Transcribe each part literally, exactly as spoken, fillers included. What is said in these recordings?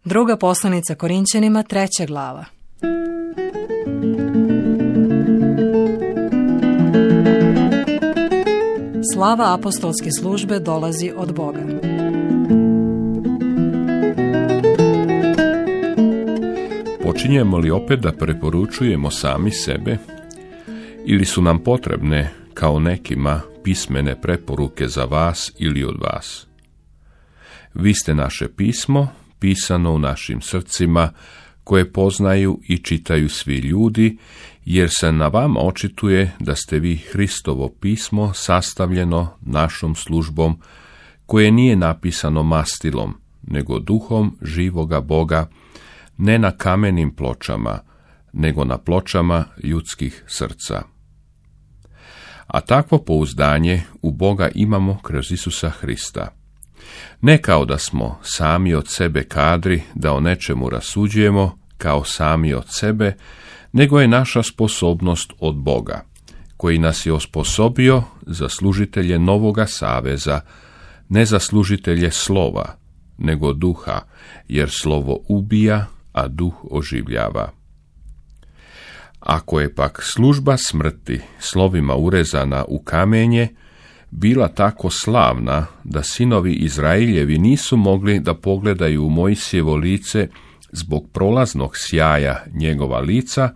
Druga poslanica Korinćanima, treća glava. Slava apostolske službe dolazi od Boga. Počinjemo li opet da preporučujemo sami sebe ili su nam potrebne, kao nekima, pismene preporuke za vas ili od vas? Vi ste naše pismo, pisano u našim srcima, koje poznaju i čitaju svi ljudi, jer se na vama očituje da ste vi Hristovo pismo sastavljeno našom službom, koje nije napisano mastilom, nego duhom živoga Boga, ne na kamenim pločama, nego na pločama ljudskih srca. A takvo pouzdanje u Boga imamo kroz Isusa Hrista. Ne kao da smo sami od sebe kadri da o nečemu rasuđujemo, kao sami od sebe, nego je naša sposobnost od Boga, koji nas je osposobio za služitelje novoga saveza, ne za služitelje slova, nego duha, jer slovo ubija, a duh oživljava. Ako je pak služba smrti slovima urezana u kamenje bila tako slavna da sinovi Izraeljevi nisu mogli da pogledaju u Mojsijevo lice zbog prolaznog sjaja njegova lica,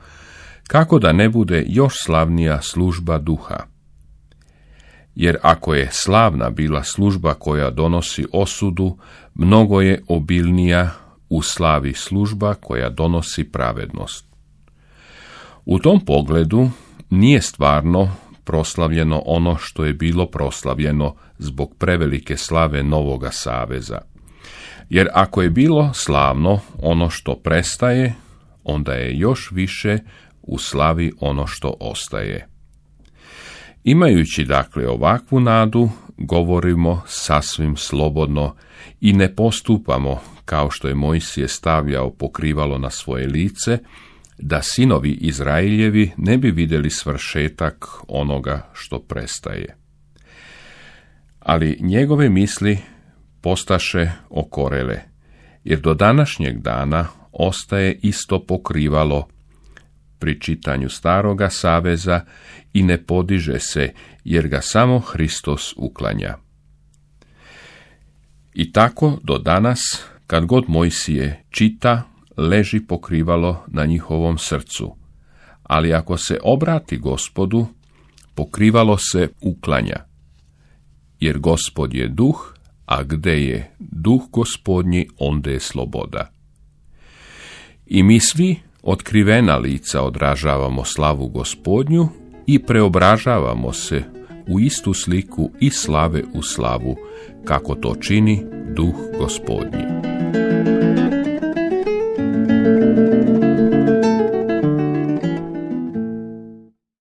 kako da ne bude još slavnija služba duha. Jer ako je slavna bila služba koja donosi osudu, mnogo je obilnija u slavi služba koja donosi pravednost. U tom pogledu nije stvarno proslavljeno ono što je bilo proslavljeno zbog prevelike slave novoga saveza. Jer ako je bilo slavno ono što prestaje, onda je još više u slavi ono što ostaje. Imajući dakle ovakvu nadu, govorimo sasvim slobodno i ne postupamo kao što je Mojsije stavljao pokrivalo na svoje lice, da sinovi Izraeljevi ne bi vidjeli svršetak onoga što prestaje. Ali njegove misli postaše okorele, jer do današnjeg dana ostaje isto pokrivalo pri čitanju staroga saveza i ne podiže se, jer ga samo Hristos uklanja. I tako do danas, kad god Mojsije čita, leži pokrivalo na njihovom srcu, ali ako se obrati Gospodu, pokrivalo se uklanja, jer Gospod je duh, a gde je duh Gospodnji, onda je sloboda. I mi svi otkrivena lica odražavamo slavu Gospodnju i preobražavamo se u istu sliku i slave u slavu, kako to čini duh Gospodnji.